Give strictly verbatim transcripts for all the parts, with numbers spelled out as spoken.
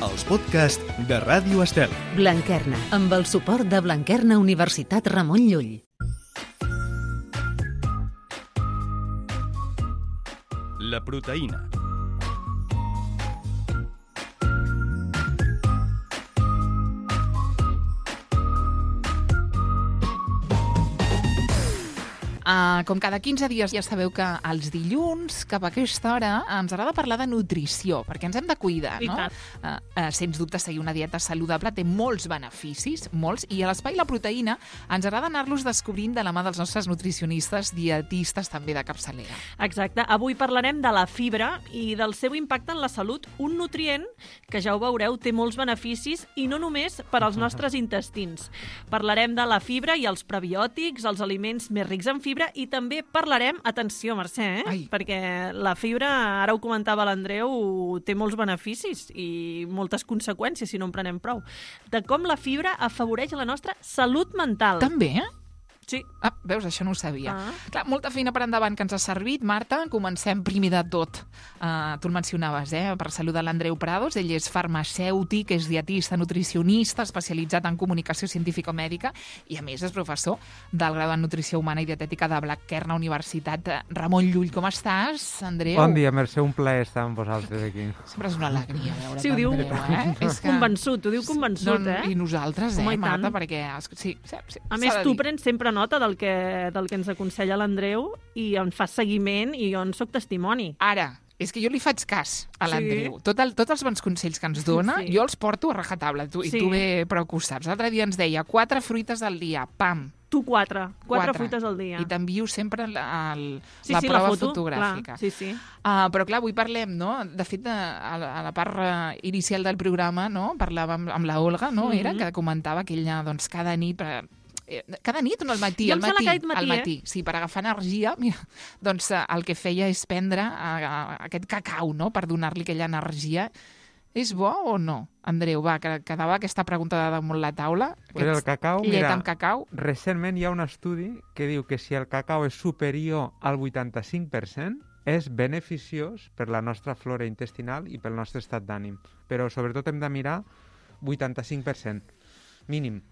els podcasts de Ràdio Estel. Blanquerna, amb el suport de Blanquerna Universitat Ramon Llull. La proteïna. Uh, com cada quinze dies ja sabeu que els dilluns, cap a aquesta hora, ens agrada parlar de nutrició, perquè ens hem de cuidar, no? Uh, uh, sens dubte, seguir una dieta saludable té molts beneficis, molts, i a l'Espai La Proteïna ens agrada anar-los descobrint de la mà dels nostres nutricionistes, dietistes també de capçalera. Exacte. Avui parlarem de la fibra i del seu impacte en la salut, un nutrient que, ja ho veureu, té molts beneficis i no només per als nostres intestins. Parlarem de la fibra i els prebiòtics, els aliments més rics en fibra, i també parlarem, atenció Mercè, eh? perquè la fibra, ara ho comentava l'Andreu, té molts beneficis i moltes conseqüències si no en prenem prou, de com la fibra afavoreix la nostra salut mental. També, eh? Sí. Ah, veus, això no ho sabia. Ah. Clar, molta feina per endavant que ens ha servit. Marta, comencem primer de tot. Uh, tu el mencionaves, eh? Per saludar l'Andreu Prados. Ell és farmacèutic, és dietista, nutricionista, especialitzat en comunicació científico-mèdica i, a més, és professor del grau en Nutrició Humana i Dietètica de Blanquerna Universitat. Ramon Llull, com estàs, Andreu? Bon dia, Mercè, un plaer estar amb vosaltres aquí. Sempre és una alegria veure sí, ho diu, eh? És que... convençut, ho diu convençut, no, eh? I nosaltres, eh, Home, Marta, perquè... Sí, sí, sí, a més, tu prens sempre nota del que, del que ens aconsella l'Andreu i en fas seguiment i jo en soc testimoni. Ara, és que jo li faig cas a l'Andreu. Sí. Tot el, tots els bons consells que ens dona, sí. jo els porto a rajatabla, tu, sí. i tu bé prou que ho saps. L'altre dia ens deia quatre fruites al dia, pam. Tu quatre, quatre, quatre. fruites al dia. I t'envio sempre el, el, sí, la sí, prova la foto, fotogràfica. Clar, sí, sí. Uh, però clar, avui parlem, no? De fet, a la, a la part uh, inicial del programa, no? Parlàvem amb, amb la Olga, no? Mm-hmm. Era que comentava que ella, doncs, cada nit... Per, cada nit o no al matí? Jo al matí, matí, al matí. Eh? Sí, per agafar energia, mira, doncs el que feia és prendre a, a, aquest cacau, no?, per donar-li aquella energia. És bo o no? Andreu, va, que quedava aquesta pregunta damunt la taula. Pues el cacau, llet mira, amb cacau. Recentment hi ha un estudi que diu que si el cacau és superior al vuitanta-cinc per cent és beneficiós per la nostra flora intestinal i pel nostre estat d'ànim. Però sobretot hem de mirar vuitanta-cinc per cent, mínim.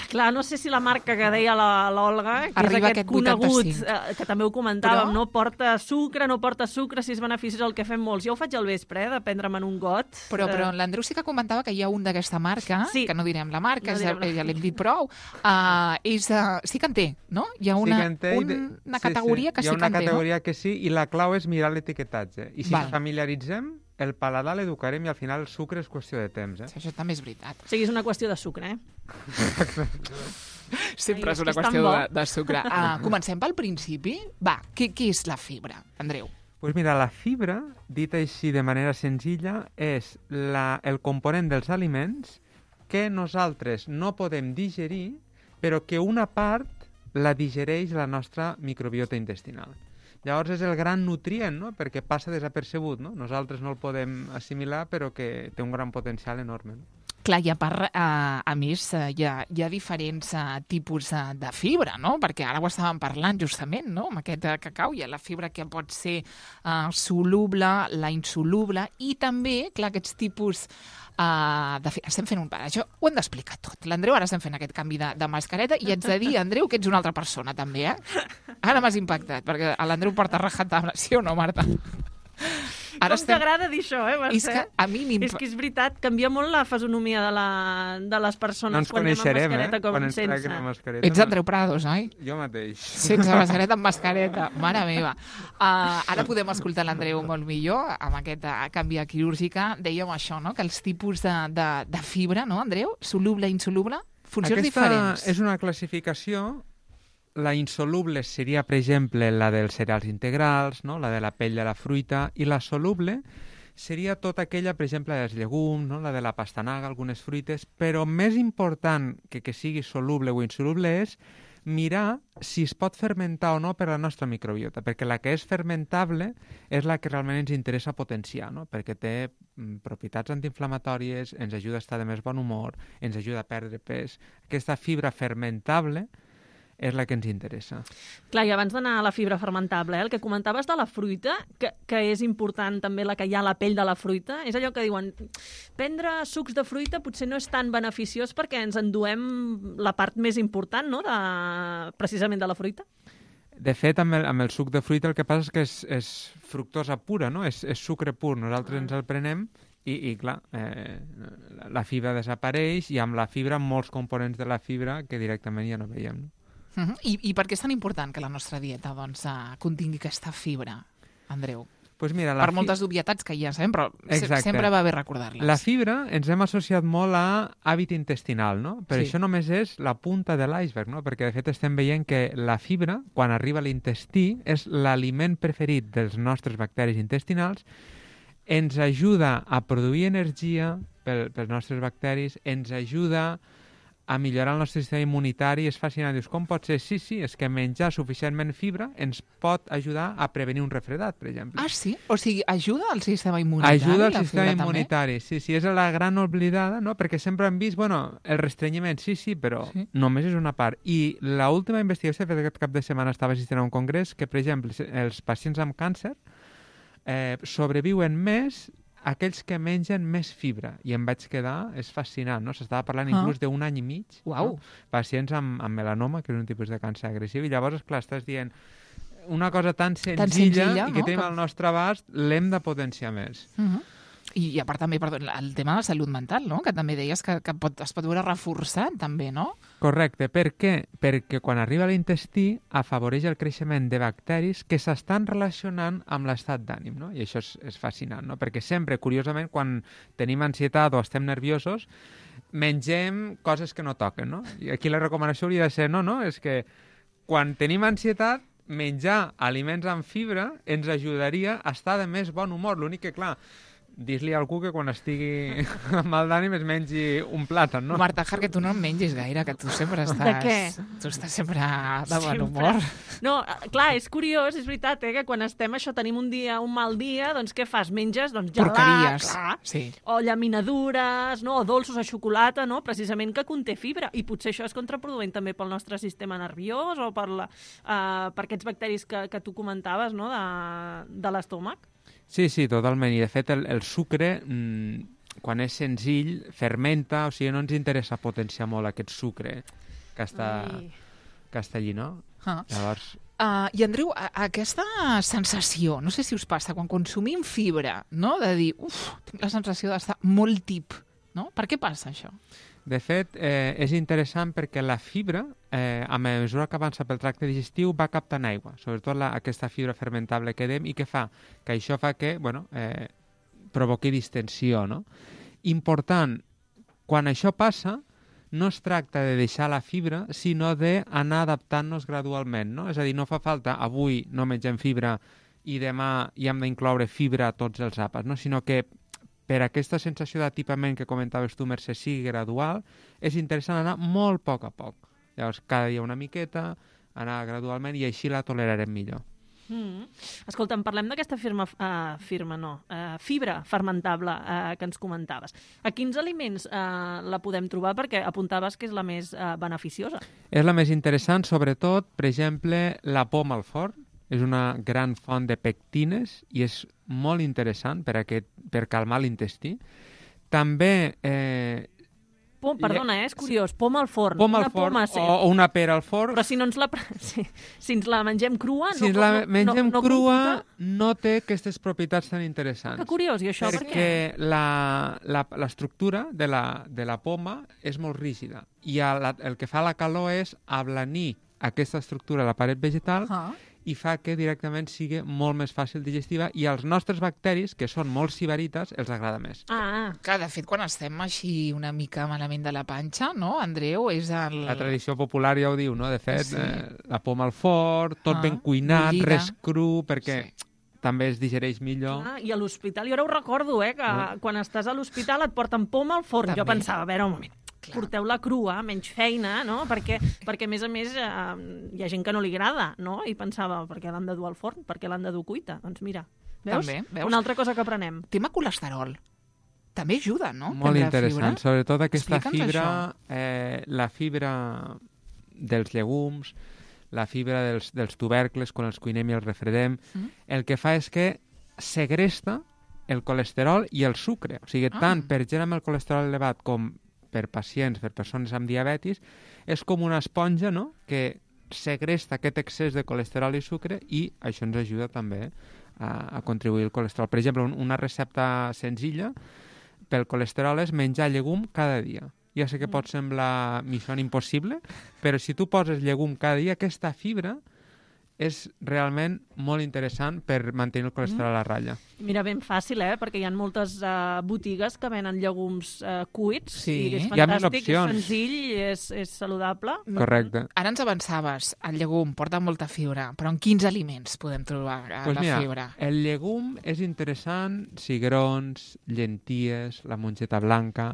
Clar, no sé si la marca que deia l'Olga, que arriba és aquest conegut, eh, que també ho comentàvem, però... no porta sucre, no porta sucre, si és beneficiós el que fem molts. Jo ho faig al vespre, eh, de prendre'm un got. Però, però l'Andreu sí que comentava que hi ha un d'aquesta marca, sí. que no direm la marca, no direm la... ja l'hem dit prou, uh, és, uh, sí que en té, no? Hi ha una, sí té, un, una categoria sí, sí. que sí que en té, no? Hi ha una categoria que sí, i la clau és mirar l'etiquetatge. I si Val. ens familiaritzem, el paladar l'educarem i al final el sucre és qüestió de temps. Eh? Sí, això també és veritat. O sigui, és una qüestió de sucre, eh? Sempre Ai, és una és qüestió de, de sucre. Ah, comencem pel principi. Va, què, què és la fibra, Andreu? Pues mira, la fibra, dit així de manera senzilla, és la, el component dels aliments que nosaltres no podem digerir, però que una part la digereix la nostra microbiota intestinal. Llavors és el gran nutrient, no?, perquè passa desapercebut, no? Nosaltres no el podem assimilar, però que té un gran potencial enorme. No? Clar, i a part, eh, a més, eh, hi, ha, hi ha diferents eh, tipus eh, de fibra, no? Perquè ara ho estàvem parlant justament, no?, amb aquest eh, cacau. Hi ha la fibra que pot ser eh, soluble, la insoluble, i també, clar, aquests tipus Uh, de fi... estem fent un... Això ho hem d'explicar tot. L'Andreu ara estem fent aquest canvi de, de mascareta i ets de dir, Andreu, que ets una altra persona també, eh? Ara m'has impactat, perquè l'Andreu porta rajatabla, sí o no, Marta? Ara Com estem... t'agrada dir això, eh, Mercè? És que a mi És que és veritat, canvia molt la fisonomia de, la, de les persones no ens quan anem amb mascareta eh? com quan sense. Mascareta, Ets Andreu Prados, oi? Jo mateix. Sense mascareta, amb mascareta. Mare meva. Uh, ara podem escoltar l'Andreu molt millor amb aquest uh, canvi quirúrgica. Dèiem això, no?, que els tipus de, de, de fibra, no, Andreu? Soluble, insoluble, funcions Aquesta diferents. És una classificació. La insoluble seria, per exemple, la dels cereals integrals, no?, la de la pell de la fruita, i la soluble seria tota aquella, per exemple, dels llegums, no?, la de la pastanaga, algunes fruites, però més important que que sigui soluble o insoluble és mirar si es pot fermentar o no per la nostra microbiota, perquè la que és fermentable és la que realment ens interessa potenciar, no?, perquè té mm, propietats antiinflamatòries, ens ajuda a estar de més bon humor, ens ajuda a perdre pes. Aquesta fibra fermentable és la que ens interessa. Clar, i abans d'anar a la fibra fermentable, eh, el que comentaves de la fruita, que, que és important també la que hi ha a la pell de la fruita, és allò que diuen, prendre sucs de fruita potser no és tan beneficiós perquè ens enduem la part més important, no?, de, precisament de la fruita. De fet, amb el, amb el suc de fruita el que passa és que és, és fructosa pura, no? És, és sucre pur. Nosaltres ah. ens el prenem i, i clar, eh, la fibra desapareix i amb la fibra molts components de la fibra que directament ja no veiem. No? Uh-huh. I, I per què és tan important que la nostra dieta doncs, uh, contingui aquesta fibra, Andreu? Pues mira, la per moltes fi... obvietats que ja sabem, però Exacte. sempre va bé recordar-les. La fibra ens hem associat molt a hàbit intestinal, no? Però Sí. això només és la punta de l'iceberg, no? Perquè de fet estem veient que la fibra, quan arriba a l'intestí, és l'aliment preferit dels nostres bacteris intestinals, ens ajuda a produir energia pel, pels nostres bacteris, ens ajuda a millorar el nostre sistema immunitari. És fascinant. Dius, com pot ser? Sí, sí, és que menjar suficientment fibra ens pot ajudar a prevenir un refredat, per exemple. Ah, sí? O sigui, ajuda al sistema immunitari? Ajuda al la sistema fibra, immunitari, sí, sí, és la gran oblidada, no? Perquè sempre hem vist, bueno, el restrenyiment, sí, sí, però Sí. només és una part. I l'última investigació que aquest cap de setmana estava assistint a un congrés que, per exemple, els pacients amb càncer eh, sobreviuen més aquells que mengen més fibra. I em vaig quedar, és fascinant, no? S'estava parlant Ah. inclús d'un any i mig. Uau. No? Pacients amb, amb melanoma, que és un tipus de càncer agressiu, i llavors, clar, estàs dient una cosa tan senzilla, senzilla, i que no? tenim Que- al nostre abast, l'hem de potenciar més. Uh -huh. I, I a part també, perdó, el tema de la salut mental, no? Que també deies que, que pot, es pot veure reforçat, també, no? Correcte. Per què? Perquè quan arriba a l'intestí afavoreix el creixement de bacteris que s'estan relacionant amb l'estat d'ànim, no? I això és, és fascinant, no? Perquè sempre, curiosament, quan tenim ansietat o estem nerviosos, mengem coses que no toquen, no? I aquí la recomanació hauria de ser, no, no, és que quan tenim ansietat, menjar aliments amb fibra ens ajudaria a estar de més bon humor. L'únic que, clar, dir-li a algú que quan estigui amb mal d'ànim es mengi un plàtan, no? Marta Jar, que tu no en mengis gaire, que tu sempre estàs... De què? Tu estàs sempre de bon Sempre. humor. No, clar, és curiós, és veritat, eh, que quan estem això, tenim un dia, un mal dia, doncs què fas? Menges, doncs, gelat, Porqueries. clar, Sí. o llaminadures, no? O dolços a xocolata, no? Precisament que conté fibra. I potser això és contraproduent també pel nostre sistema nerviós o per, la, uh, per aquests bacteris que, que tu comentaves, no?, de, de l'estómac. Sí, sí, totalment. I, de fet, el, el sucre, mmm, quan és senzill, fermenta, o sigui, no ens interessa potenciar molt aquest sucre que està, Ai. que està allí, no? Ah. Llavors, Uh, I, Andreu, a, aquesta sensació, no sé si us passa, quan consumim fibra, no?, de dir, uf, tinc la sensació d'estar molt tip, no? Per què passa això? de fet, eh, és interessant perquè la fibra, eh, a mesura que avança pel tracte digestiu, va captant aigua, sobretot la, aquesta fibra fermentable que dèiem, i què fa? Que això fa que, bueno, eh, provoqui distensió, no? Important, quan això passa, no es tracta de deixar la fibra, sinó d'anar adaptant-nos gradualment, no? És a dir, no fa falta, avui no mengem fibra i demà hi hem d'incloure fibra a tots els àpats, no? Sinó que per aquesta sensació d'atipament que comentaves tu, Mercè, sigui gradual, és interessant anar molt a poc a poc. Llavors, cada dia una miqueta, anar gradualment, i així la tolerarem millor. Mm. Escolta'm, parlem d'aquesta firma, uh, firma no, uh, fibra fermentable uh, que ens comentaves. A quins aliments uh, la podem trobar? Perquè apuntaves que és la més uh, beneficiosa. És la més interessant, sobretot, per exemple, la poma al forn. És una gran font de pectines i és molt interessant per, aquest, per calmar l'intestí. També... Eh, Pom, perdona, eh, és curiós. Poma al forn. Poma una al forn poma, o, o una pera al forn. Però si no ens la, si, si ens la mengem crua... Si no, ens la no, mengem no, no crua, computa? no té aquestes propietats tan interessants. Que curiós, i això per què? Perquè la- la- l'estructura de, la, de la poma és molt rígida i a la, el que fa la calor és ablanir aquesta estructura de la paret vegetal Ah. i fa que directament sigui molt més fàcil digestiva, i als nostres bacteris, que són molt sibarites, els agrada més. Ah, Que, de fet, quan estem així una mica malament de la panxa, no, Andreu, és el... La tradició popular ja ho diu, no? De fet, Sí. eh, la poma al forn, tot Ah, ben cuinat, bullida. res cru, perquè Sí. també es digereix millor. ah, i a l'hospital, jo ara ho recordo, eh, que Ah. quan estàs a l'hospital et porten poma al forn. També. Jo pensava, a veure, un moment, Clar. porteu-la crua, menys feina, no? Perquè, perquè a més a més, eh, hi ha gent que no li agrada, no? I pensava, per què l'han de dur al forn? Per què l'han de dur cuita? Doncs mira, veus? També, veus? Una altra cosa que aprenem. Tema colesterol. També ajuda, no? Molt Prendre interessant, fibra. sobretot aquesta Explica'ns fibra, això. eh, la fibra dels llegums, la fibra dels, dels tubercles, quan els cuinem i els refredem, mm. el que fa és que segresta el colesterol i el sucre. O sigui, ah. tant per gent amb el colesterol elevat com per pacients, per persones amb diabetis, és com una esponja, no?, que segresta aquest excés de colesterol i sucre i això ens ajuda també a, a contribuir al colesterol. Per exemple, un, una recepta senzilla pel colesterol és menjar llegum cada dia. Ja sé que pot semblar missió impossible, però si tu poses llegum cada dia, aquesta fibra és realment molt interessant per mantenir el colesterol a la ratlla. Mira, ben fàcil, eh? Perquè hi ha moltes uh, botigues que venen llegums uh, cuits sí. i és hi ha fantàstic, és senzill, és, és saludable. Correcte. Ara ens avançaves, el llegum porta molta fibra, però en quins aliments podem trobar pues la mira, fibra? El llegum és interessant, cigrons, llenties, la mongeta blanca.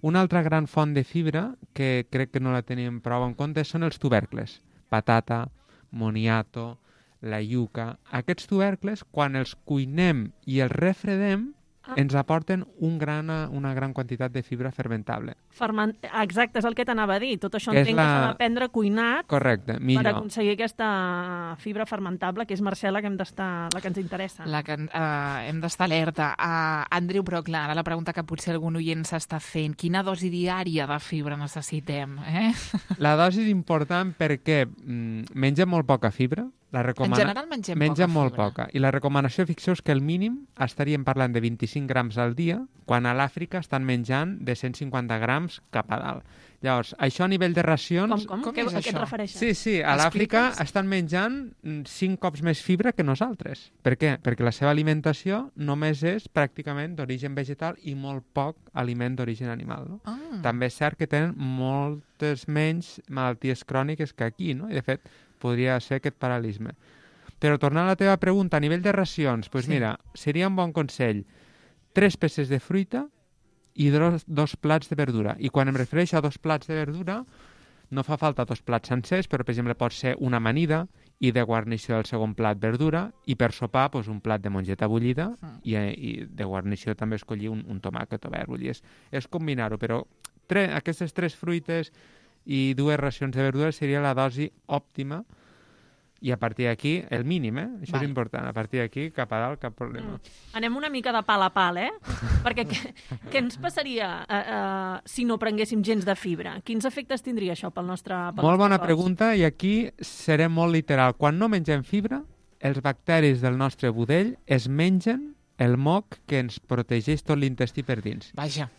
Una altra gran font de fibra, que crec que no la tenim prou en compte, són els tubercles. Patata, moniato, la iuca. Aquests tubercles, quan els cuinem i els refredem, ah. ens aporten un gran, una gran quantitat de fibra fermentable. Ferment... Exacte, és el que t'anava a dir. Tot això que entenc la... que s'ha d'aprendre cuinat. Correcte, millor. Per aconseguir aquesta fibra fermentable, que és, Mercè, la que, hem d'estar, la que ens interessa. La que uh, hem d'estar alerta. Uh, Andreu, però clar, ara la pregunta que potser algun oient s'està fent, quina dosi diària de fibra necessitem? Eh? La dosi és important perquè mm, mengem molt poca fibra. La recomana... En general mengem, mengem poca molt fibra. poca. I la recomanació, fixeu-vos que el mínim estaríem parlant de vint-i-cinc grams al dia, quan a l'Àfrica estan menjant de cent cinquanta grams cap a dalt. Llavors, això a nivell de racions... Com, com? com Què, és a què et això? refereixes? Sí, sí, a l'Àfrica Explica'ns. estan menjant cinc cops més fibra que nosaltres. Per què? Perquè la seva alimentació només és pràcticament d'origen vegetal i molt poc aliment d'origen animal. No? Ah. També és cert que tenen moltes menys malalties cròniques que aquí, no? I de fet podria ser aquest paral·lisme. Però tornant a la teva pregunta, a nivell de racions, doncs Sí. mira, seria un bon consell tres peces de fruita i dos, dos plats de verdura. I quan em refereixo a dos plats de verdura, no fa falta dos plats sencers, però, per exemple, pot ser una amanida i de guarnició del segon plat verdura i per sopar doncs, un plat de mongeta bullida Mm. i, i de guarnició també escollir un, un tomàquet o verd. Vull dir, és, és combinar-ho, però tre, aquestes tres fruites i dues racions de verdura seria la dosi òptima. I a partir d'aquí, el mínim, eh? Això Val. és important. A partir d'aquí, cap a dalt, cap problema. Mm. Anem una mica de pal a pal, eh? Perquè què, què ens passaria uh, uh, si no prenguéssim gens de fibra? Quins efectes tindria això pel nostre pel Molt nostre bona cos? pregunta, i aquí serem molt literal. Quan no mengem fibra, els bacteris del nostre budell es mengen el moc que ens protegeix tot l'intestí per dins. Vaja.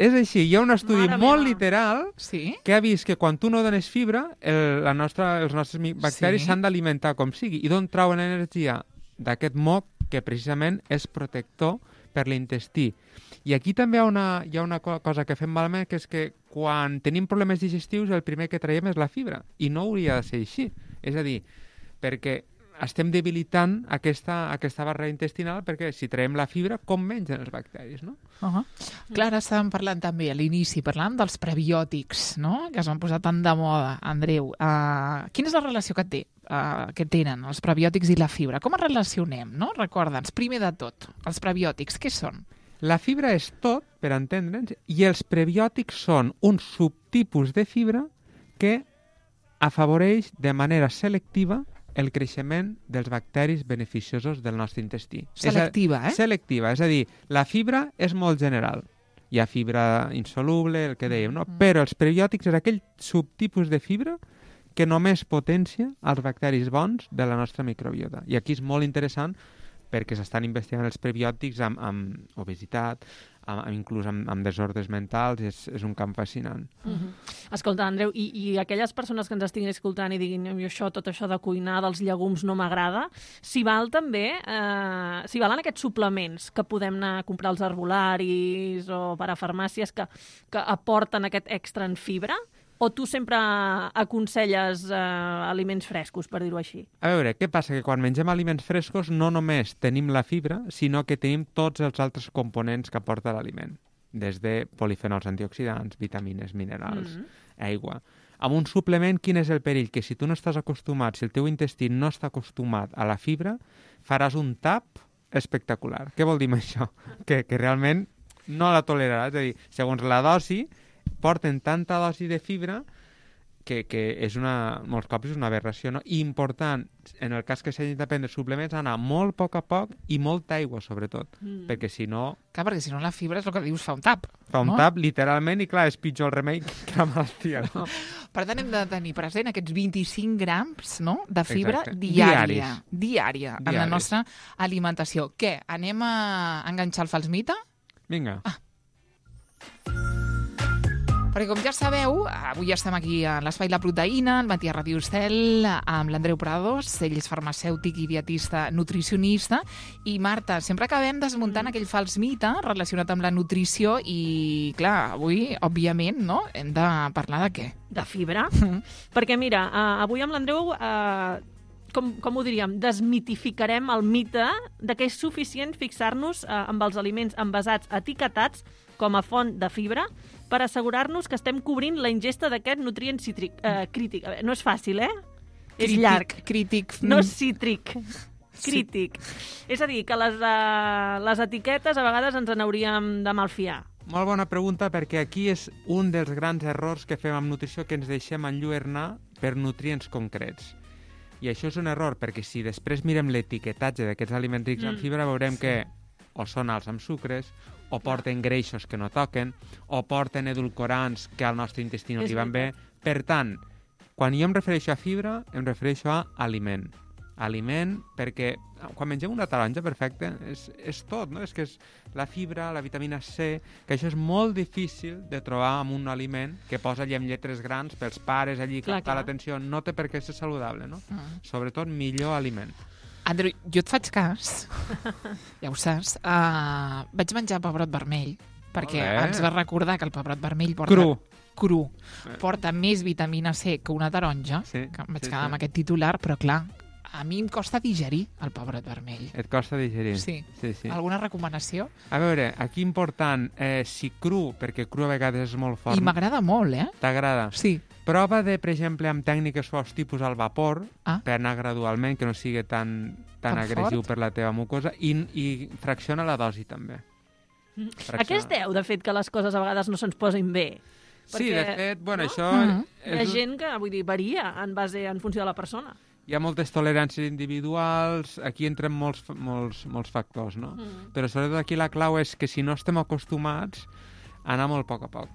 És així, hi ha un estudi Mare molt meva. literal Sí? que ha vist que quan tu no dones fibra, el, la nostra, els nostres mi- bacteris Sí. s'han d'alimentar com sigui. I d'on trauen energia? D'aquest moc que precisament és protector per l'intestí. I aquí també hi ha una, hi ha una co- cosa que fem malament, que és que quan tenim problemes digestius el primer que traiem és la fibra. I no hauria de ser així. És a dir, perquè estem debilitant aquesta, aquesta barrera intestinal, perquè si traiem la fibra, com mengen els bacteris, no? Uh -huh. Clar, ara estàvem parlant també a l'inici, parlàvem dels prebiòtics, no?, que es van posar tan de moda, Andreu. Uh, quina és la relació que té, uh, que tenen els prebiòtics i la fibra? Com es relacionem, no? Recorda'ns, primer de tot, els prebiòtics, què són? La fibra és tot, per entendre'ns, i els prebiòtics són un subtipus de fibra que afavoreix de manera selectiva el creixement dels bacteris beneficiosos del nostre intestí. Selectiva, és a, eh? Selectiva, és a dir, la fibra és molt general. Hi ha fibra insoluble, el que dèiem, no? Mm. Però els prebiòtics és aquell subtipus de fibra que només potencia els bacteris bons de la nostra microbiota. I aquí és molt interessant perquè s'estan investigant els prebiòtics amb, amb obesitat, amb, amb, inclús amb, amb desordres mentals, és, és un camp fascinant. Uh -huh. Escolta, Andreu, i, i aquelles persones que ens estiguin escoltant i diguin jo això, tot això de cuinar dels llegums no m'agrada, s'hi val també, eh, s'hi valen aquests suplements que podem anar a comprar als herbolaris o per a farmàcies que, que aporten aquest extra en fibra? O tu sempre aconselles eh, aliments frescos, per dir-ho així? A veure, què passa? Que quan mengem aliments frescos no només tenim la fibra, sinó que tenim tots els altres components que aporta l'aliment, des de polifenols antioxidants, vitamines, minerals, Mm. aigua. Amb un suplement, quin és el perill? Que si tu no estàs acostumat, si el teu intestí no està acostumat a la fibra, faràs un tap espectacular. Què vol dir amb això? Que, que realment no la toleraràs. És a dir, segons la dosi, porten tanta dosi de fibra que, que és una, molts cops és una aberració, no? I important, en el cas que s'hagin de prendre suplements, anar molt a poc a poc i molta aigua, sobretot, mm. perquè si no... Clar, perquè si no la fibra és el que dius, fa un tap. Fa un no? tap, literalment, i clar, és pitjor el remei que la malaltia, no? Per tant, hem de tenir present aquests vint-i-cinc grams, no?, de fibra Exacte. diària. Diària, en la Diaris. nostra alimentació. Què? Anem a enganxar el fals mite? Vinga. Ah. Perquè, com ja sabeu, avui estem aquí a l'Espai La Proteïna, al matí a Ràdio Estel, amb l'Andreu Prados, ell és farmacèutic i dietista nutricionista, i Marta, sempre acabem desmuntant aquell fals mite relacionat amb la nutrició i, clar, avui, òbviament, no?, hem de parlar de què? De fibra. Perquè, mira, uh, avui amb l'Andreu... Uh, Com, com ho diríem, desmitificarem el mite de que és suficient fixar-nos eh, amb els aliments envasats etiquetats com a font de fibra per assegurar-nos que estem cobrint la ingesta d'aquest nutrient cítric, eh, crític. A veure, no és fàcil, eh? Crític, és llarg. Crític. No és cítric. Crític. Sí. És a dir, que les, uh, les etiquetes a vegades ens n'hauríem de malfiar. Molt bona pregunta, perquè aquí és un dels grans errors que fem amb nutrició, que ens deixem enlluernar per nutrients concrets. I això és un error, perquè si després mirem l'etiquetatge d'aquests aliments rics en fibra, veurem sí. que o són alts amb sucres, o porten greixos que no toquen, o porten edulcorants que al nostre intestí no li van bé. Per tant, quan jo em refereixo a fibra, em refereixo a aliment. Aliment, perquè quan mengem una taronja, perfecte, és, és tot, no? És que és la fibra, la vitamina C, que això és molt difícil de trobar en un aliment que posa allà amb lletres grans pels pares, allí, clar, captar clar. l'atenció, no té per què ser saludable, no? Mm. Sobretot, millor aliment. Andreu, jo et faig cas, ja ho saps, uh, vaig menjar pebrot vermell, perquè ens va recordar que el pebrot vermell porta... Cru. Cru. Porta més vitamina C que una taronja, Sí, que em vaig sí, quedar sí. amb aquest titular, però clar, a mi em costa digerir el pebrot vermell. Et costa digerir. Sí. sí, sí. Alguna recomanació? A veure, aquí important, eh, si cru, perquè cru a vegades és molt fort. I m'agrada molt, eh? T'agrada? Sí. Prova de, per exemple, amb tècniques suaus tipus al vapor, Ah. per anar gradualment, que no sigui tan, tan, Tan agressiu fort? per la teva mucosa, i, i fracciona la dosi, també. A què es deu, de fet, que les coses a vegades no se'ns posin bé? Sí, Perquè, de fet, bueno, no? això... Mhm. Hi ha És, gent que, vull dir, varia en base en funció de la persona. hi ha moltes toleràncies individuals, aquí entren molts, molts, molts factors, no? Mm. Però sobretot aquí la clau és que si no estem acostumats, anar molt a poc a poc.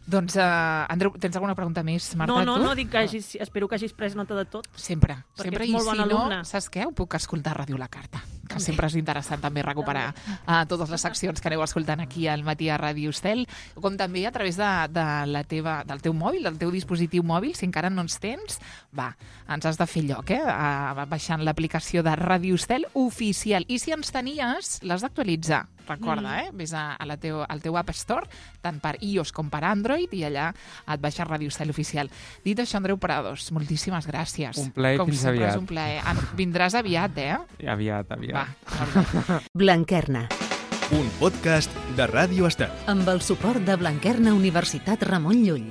Doncs, uh, Andreu, tens alguna pregunta més, Marta? No, no, tu? no, dic que hagis, espero que hagis pres nota de tot. Sempre, Perquè sempre. ets I molt bon si alumne. no, saps què? Ho puc escoltar a Ràdio La Carta, que sempre és interessant també recuperar uh, totes les seccions que aneu escoltant aquí al matí a Ràdio Estel, com també a través de, de la teva, del teu mòbil, del teu dispositiu mòbil, si encara no ens tens, va, ens has de fer lloc, eh? Uh, baixant l'aplicació de Ràdio Estel oficial. I si ens tenies, l'has d'actualitzar. Recorda, eh? Vés a, a la teu, al teu App Store, tant per iOS com per Android, i allà et baixa Ràdio Estel oficial. Dit això, Andreu Prados, moltíssimes gràcies. Un plaer, com fins sempre aviat. és un plaer. En, vindràs aviat, eh? Aviat, aviat. Va, molt bé. Blanquerna, Un podcast de Ràdio Estel. amb el suport de Blanquerna Universitat Ramon Llull.